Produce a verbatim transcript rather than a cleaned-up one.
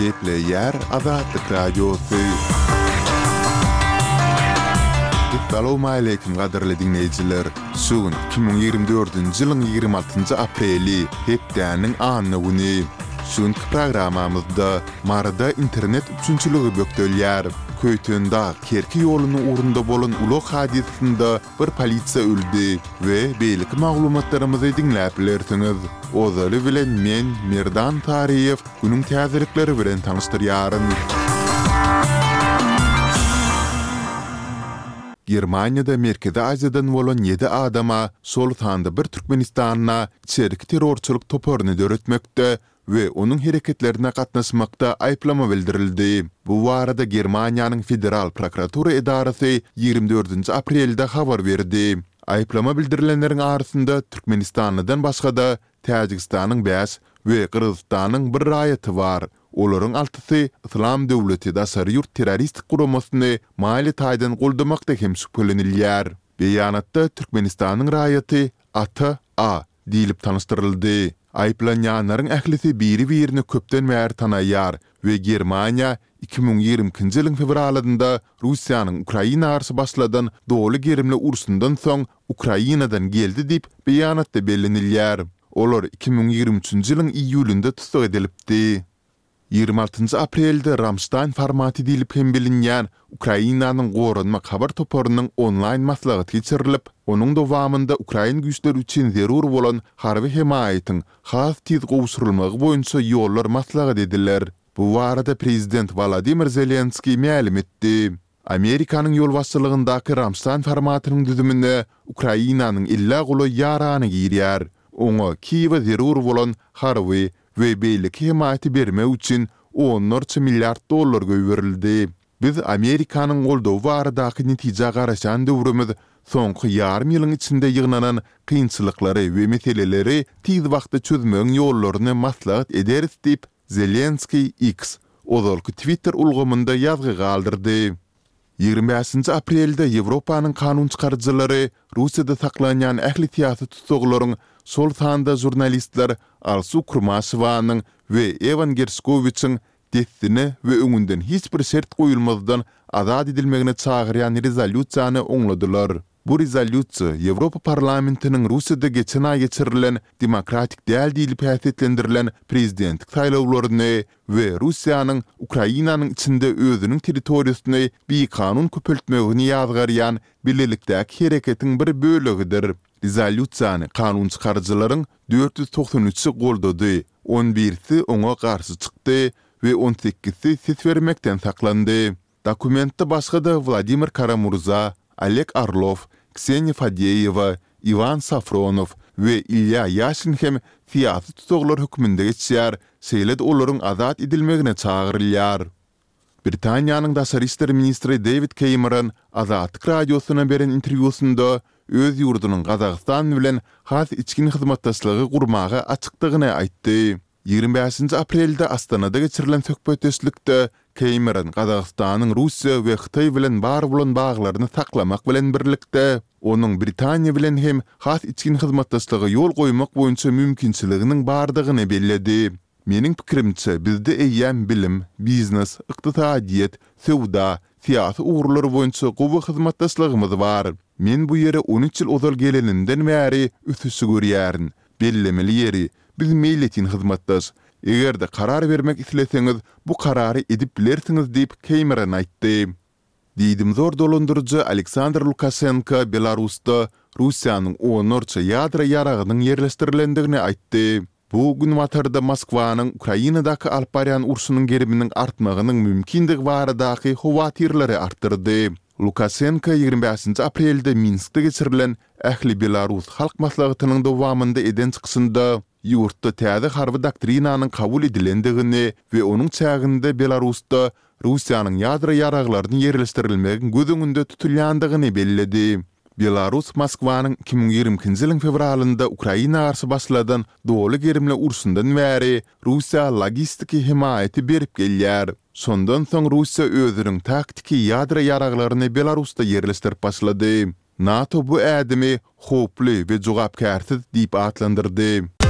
Gepleýär Azatlyk Radiosy. Essalawmaleýkim gadyrly diňleýjiler! Şu gün iki müň ýigrimi dördünji ýylyň ýigrimi altynjy apreli, hepdäniň anna güni. Şu günki programmamyzda Maryda internet üpjünçiligi bökdelýär. Köýtendag, Kerki ýolunyň ugrunda bolan ulag hadysasynda bir polisiýa öldi we beýleki maglumatlarymyzy diňläp bilersiňiz. Ozaly bilen men, Merdan Taryýew, günüň täzelikleri bilen tanyşdyrýaryn. Germaniýada Merkezi Aziýadan bolan ýedi adama, şol sanda bir türkmenistanla içerki terrorçylyk toparyny döretmekde we onuň hereketlerine gatnaşmakda aýyplama bildirildi. Bu barada Germaniýanyň Federal prokuratura edarasy ýigrimi dördünji aprelde habar berdi. Aýyplama bildirilenleriň arasynda türkmenistanlydan başga-da, Täjigistanyň bäş we Gyrgyzystanyň bir raýaty bar. Olaryň altysy Yslam döwleti daşary ýurt terroristik guramasyny maliýe taýdan goldamakda hem şübhelenilýär. Beýanatda Türkmenistanyň raýaty Ata A. Diýlip tanyşdyryldy. Aýyplanýanlaryň ählisi biri-birini köpden bäri tanaýar we Germaniýa iki müň ýigrimi ikinji ýylyň fewralynda Russiýanyň Ukraina garşy başladan doly gerimli urşundan soň Ukrainadan geldi diýip, beýanatda bellenilýär. Olar iki müň ýigrimi üçünji ýylyň iýulynda tussag edilipdi. Ýigrimi altynjy aprelde Ramştaýn formaty diýlip hem bilinýän Ukrainanyň Goranmak habar toparynyň onlaýn maslahaty geçirilip, onuň dowamynda ukrain güýçleri üçin zerur bolan harby hemaýatyň has tiz gowşurylmagy boýunça ýollar maslahat ediler. Bu barada prezident Wolodymyr Zelenskiý mälim etdi. Amerikanyň ýolbaşçylygyndaky Ramştaýn formatynyň düzümine Ukrainanyň ellä golaý ýarany girýär. Oňa Kiýewe zerur bolan harby we beýleki hemaýaty bermek üçin onlarça milliard dollar goýberildi. Biz Amerikanyň goldawy baradaky netijä garaşýan döwrümiz soňky ýarym ýylyň içinde ýygnanan kynçylyklary we meseleleri tiz wagtda çözmegiň ýollaryny maslahat ederis diýip, Zelenskiý X, ozalky Twitter ulgamynda ýazgy galdyrdy. Ýigrimi bäşinji aprelde Ýewropanyň kanunçykaryjylary Russiýada saklanýan ähli syýasy tussaglaryň, şol sanda žurnalistler Alsu Kurmaşewanyň we Ewan Gerşkowiçiň dessine we öňünden hiç bir şert goýulmazdan azat edilmegine çagyrýan rezolýusiýany oňladylar. Bu rezolýusiýa Ýewropa Parlamentiniň Russiýada geçen aý geçirilen demokratik däl diýlip häsiýetlendirilen prezidentlik saýlawlaryny we Russiýanyň Ukrainanyň içinde özüniň territoriýasyny bikanun köpeltmegini ýazgarýan bilelikdäki hereketiň bir bölegidir. Rezolýusiýany kanunçykaryjylaryň dört ýüz togsan üçi goldady, on birisi oňa garşy çykdy we on sekizisi ses bermekden saklandy. Dokumentde başga-da Wladimir Kara-Murza, Oleg Orlow, Kseniýa Fadeýewa, Iwan Safronow we Ilýa Ýaşin hem syýasy tussaglar hökmünde geçýär, şeýle-de olaryň azat edilmegine çagyrylýar. Britaniýanyň daşary işler ministri Dewid Keýmeron Azatlyk Radiosyna beren interwýusynda öz ýurdunyň Gazagystan bilen has içgin hyzmatdaşlygy gurmaga açykdygyny aýtdy. Ýigrimi bäşinji aprelde Astanada geçirilen söhbetdeşlikde Keýmeron Gazagystanyň Russiýa we Hytaý bilen bar bolan baglaryny saklamak bilen birlikde, onuň Britaniýa bilen hem has içgin hyzmatdaşlyga ýol goýmak boýunça mümkinçiliginiň bardygyny belledi. Meniň pikirimçe, bizde eýýäm bilim, biznes, ykdysadyýet, söwda, syýasy ugurlar boýunça gowy hyzmatdaşlygymyz bar. Men bu ýere on üç ýyl ozal gelenimden bäri ösüşi görýärin. Bellemeli ýeri, biz meýletin hyzmatdaş. Eger-de karar bermek isleseňiz, bu karary edip bilersiňiz diýip, Keýmeron aýtdy. Diýdimzor dolandyryjy Aleksandr Lukaşenko Belarusda Russiýanyň onlarça ýadro ýaragynyň ýerleşdirilendigini aýtdy. Bu Günbatarda Moskwanyň Ukrainadaky alyp barýan urşunyň geriminiň artmagynyň mümkindigi baradaky howatyrlary artdyrdy. Lukaşenko ýigrimi bäşinji aprelde Minskde geçirilen Ähli belarus halk maslahatynyň dowamynda eden çykyşynda ýurtda täze harby doktrinanyň kabul edilendigini we onuň çäginde Belarusda Russiýanyň ýadro ýaraglaryny ýerleşdirilmegiň göz öňünde tutulýandygyny belledi. Belarus Moskwanyň iki müň ýigrimi ikinji ýylyň fewralynda Ukraina garşy başladan doly gerimli urşundan bäri Russiýa logistiki hemaýaty berip gelýär. Şondan soň Russiýa özüniň taktiki ýadro ýaraglaryny Belarusda ýerleşdirip başlady. NATO bu ädimi howply we jogapkärsiz diýip atlandyrdy.